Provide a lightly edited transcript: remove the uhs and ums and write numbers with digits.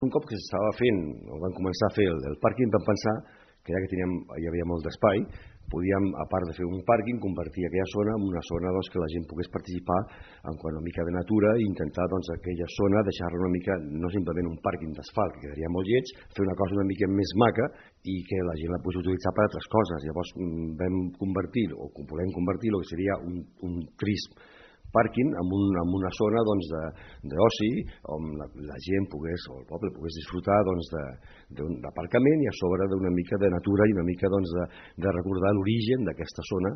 Un cop que s'estava fent, o van començar a fer el pàrquing, vam pensar que ja que hi havia molt d'espai, podíem, a part de fer un pàrquing, convertir aquella zona en una zona que la gent pogués participar en quant a una mica de natura i intentar aquella zona deixar-la una mica, no simplement un pàrquing d'asfalt, que quedaria molt lleig, fer una cosa una mica més maca i que la gent la pogués utilitzar per altres coses. Llavors vam convertir, o volem convertir, el que seria un trist pàrquing en una zona d'oci on la gent pogués, o el poble pogués disfrutar d'aparcament i a sobre d'una mica de natura i una mica de recordar l'origen d'aquesta zona